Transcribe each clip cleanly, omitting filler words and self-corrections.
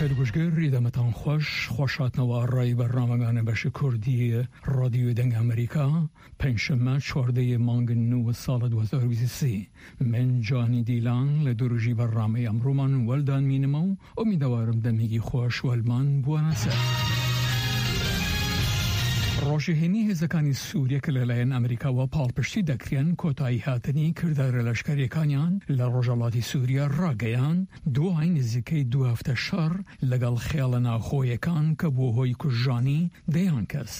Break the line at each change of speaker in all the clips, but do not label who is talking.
دووسەیل گوشگر ئیدەمەتان خوەش، خوەش هاتنەوە ئەڕای بەرنامەگانە بەش کوردی ڕادیۆ دەنگ ئەمریکا، پەنجشەممە 14 مانگ نوو ساڵ 2023. من جانی دیلان لە دروژی بەرنامەی ئەمڕوومان وەلدان مینمەو ئومیدەوارم دەمێگی خوەش وەلمان بوەنە سەر. ڕۆژی هەینی هێزەکانی سوریە کە لەلایەن ئەمریکاوە پاڵپشتی دەکرێن کۆتایی هاتنی کردارە لەشکەریەکانیان لە ڕۆژهەڵاتی سوریە ڕاگەیاند دوای نزیکەی دوو هەفتە شەڕ لەگەڵ خێڵە ناوخۆیەکان کە بووە هۆی کوژرانی دەیان کەس.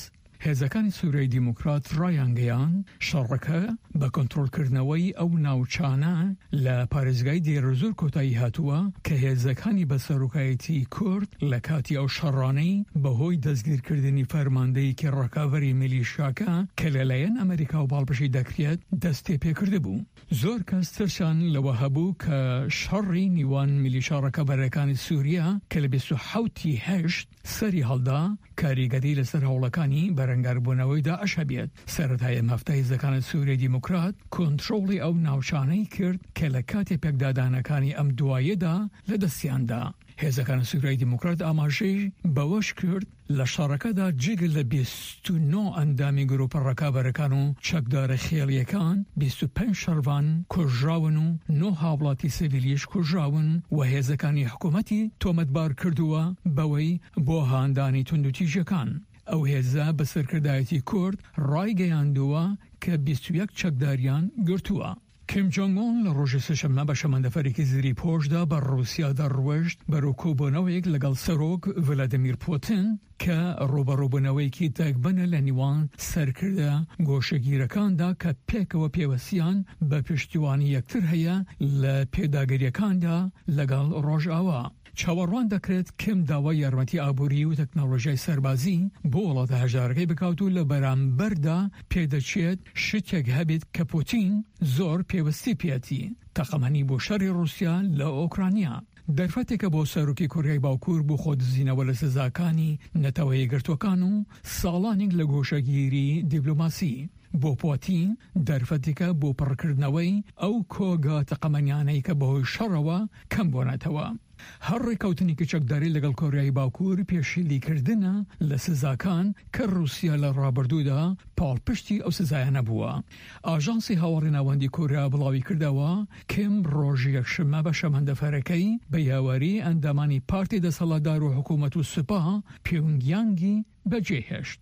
هێزەکانی سوریای دیموکرات ڕایانگەیاند، شەڕەکە بە کۆنترۆڵکردنەوەی ئەو ناوچانە لە پارێزگای دێرەزوور کۆتایی هاتووە کە هێزەکانی بە سەرۆکایەتی کورد لە کاتی ئەو شەڕانەی بەهۆی دەستگیرکردنی فەرماندەیەکی ڕکابەری میلیشیاکە کە لەلایەن ئەمەریکاوە پاڵپشتی دەکرێت دەستیپێکردبوو. زۆر کەس ترسیان لەوە هەبوو کە شەڕی نیوان میلیشا ڕکابەرەکانی سوریا کە لە 27 ی هەشت سەری هەڵدا، کاریگەری لەسەر هەوڵەکانی بەرەنگاربوونەوەی داعش هەبێت. سەرەتای ئەم هەفتە هێزەکانی سوریای دیموکرات کۆنترۆڵی ئەو ناوچانەی کرد کە لە کاتی پێکدادانەکانی ئەم دواییەدا لەدەستیان دا. هێزەکانی سوریای دیموکرات ئاماژەی بەوەش کرد، لە شەڕەکەدا جگە لە 29 ئەندامی گروپە ڕکابەرەکان و چەکدارە خێڵییەکان، 25 شەڕڤان کوژراون و نۆ هاوڵاتی سڤیلیش کوژراون و هێزەکانی حکومەتی تۆمەتبار کردووە بەوەی بۆ هاندانی توندوتیژیەکان ئەو هێزە بە سەرکردایەتی کورد ڕایگەیاندووە کە 21 چەکداریان گرتووە. کیم جۆنگ ئون لە ڕۆژی سێشەممە بە شەمەندەفەرێکی زری پۆشدا بە ڕووسیادا ڕوەشت بەرەو کۆبوونەوەیەک لەگەڵ سەرۆک ڤلادیمیر پوتین کە ڕووبەڕووبوونەوەیەکی دەگمەنە لە نیوان سەرکردە گۆشەگیرەکاندا کە پێکەوە پێوەستیان بە پشتیوانی یەکتر هەیە لە پێداگرییەکاندا لەگەڵ ڕۆژئاوا. چاوەڕوان دەکرێت کیم داوای یارمەتی ئابووری و تەکنەلۆژیای سەربازی بۆ وڵاتە هەژارەکەی بکات و لە بەرامبەردا پێدەچێت شتێک هەبێت کە پوتین زۆر پێوستی پێیەتی، تەقەمەنی بۆ شەڕی ڕووسیا لە ئۆکرانیا. دەرفەتێکە بۆ سەرۆکی کۆریای باکوور بۆ خۆدزینەوە لە سزاکانی نەتەوە یەکگرتووەکان و ساڵانێک لە گۆشەگیری دیبلۆماسی. بۆ پوتین دەرفەتێکە بۆ پڕکردنەوەی ئەو کۆگا تەقەمەنیانەی کە بەهۆی شەڕەوە کەم بوونەتەوە. هەر ڕێککەوتنێکی چەکداری لەگەڵ کۆریای باکوور پێشیلیکردنە لە سزاکان کە ڕووسیا لە ڕابردوودا پاڵپشتی ئەو سزایانە بووە. ئاژانسی هەواڵی ناوەندی کۆریا بڵاویکردەوە، کیم ڕۆژی یەکشەممە بە شەمەندەفەرەکەی بە یاوەری ئەندامانی پارتی دەسەڵاتدار و حکوومەت و سوپا پیونگیانگی بەجێهێشت.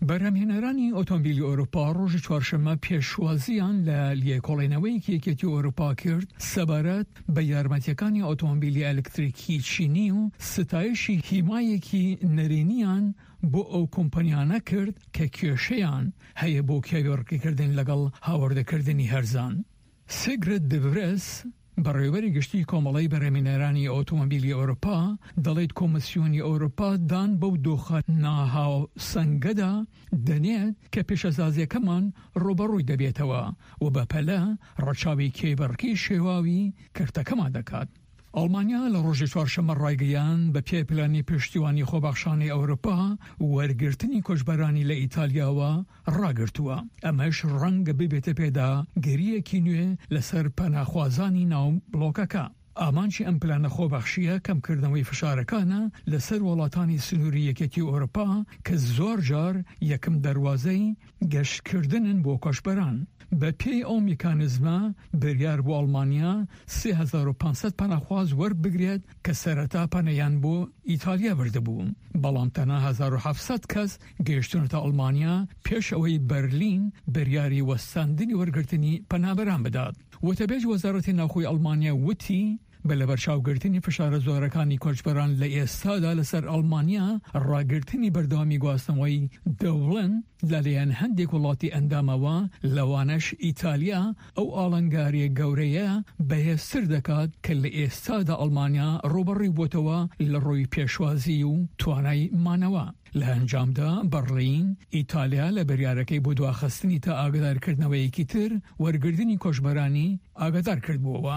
بەرهەمهێنەرانی ئۆتۆمبیلی ئەوروپا ڕۆژی چوارشەممە پێشوازییان لە لێکۆڵینەوەیەکی یەکێتی ئەوروپا کرد سەبارەت بە یارمەتیەکانی ئۆتۆمبیلی ئەلکتریکی چینی و ستایشی هیمایەکی نەرێنیان بۆ ئەو کۆمپانیانە کرد کە کێشەیان هەیە بۆ کێبڕکێکردن لەگەڵ هاوردەکردنی هەرزان. سیگرد دڤرێس، بەڕێوەبەری گشتیی کۆمەڵەی بەرهەمهێنەرانی ئۆتۆمۆبیلی ئەوروپا دەڵێت کۆمیسیۆنی ئەوروپا دان بەو دۆخە ناهاوسەنگەدا دەنێت کە پیشەسازییەکەمان ڕووبەڕووی دەبێتەوە و بەپەلە ڕەچاوی کێبڕکێی شێواوی کەرتەکەمان دەکات. ئەڵمانیا لە ڕۆژی چوارشەممە ڕایگەیاند، بە پێی پلانی پشتیوانی خۆبەخشانەی ئەوروپا، وەرگرتنی کۆچبەرانی لە ئیتالیاوە ڕاگرتووە، ئەمەش ڕەنگە ببێتە پێداگرییەکی نوێ لەسەر پەناخوازانی ناو بڵۆکەکە. ئامانجی ئەم پلانە خۆبەخشییە کەمکردنەوەی فشارەکانە لەسەر وڵاتانی سنووری یەکێتی ئەوروپا کە زۆرجار یەکەم دەروازەی گەشتکردنن بۆ کۆچبەران. بەپێی ئەو میکانیزمە بریار بوو ئەڵمانیا 3500 پەناخواز وەربگرێت کە سەرەتا پەنایان بۆ ئیتالیا بردبوو، بەڵام تەنها 1700 کەس گەیشتوونەتە ئەڵمانیا پێش ئەوەی بەرلین بریاری وەستاندنی وەرگرتنی پەنابەران بدات. وتەبێژی وەزارەتی ناوخۆی ئەڵمانیا وتی، بە لەبەرچاوگرتنی فشارە زۆرەکانی کۆچبەران لە ئێستادا لەسەر ئەڵمانیا، ڕاگرتنی بەردەوامی گواستنەوەی دەوڵن لەلایەن هەندێک وڵاتی ئەندامەوە، لەوانەش ئیتالیا، ئەو ئاڵنگارییە گەورەیە بەهێزتر دەکات کە لە ئێستادا ئەڵمانیا ڕووبەڕووی بووەتەوە لە ڕووی پێشوازی و توانای مانەوە. لە ئەنجامدا بەڕلین، ئیتالیا لە بریارەکەی بۆ دواخستنی تا ئاگادارکردنەوەیەکی تر وەرگرتنی کۆچبەرانی ئاگادار کردبووەوە.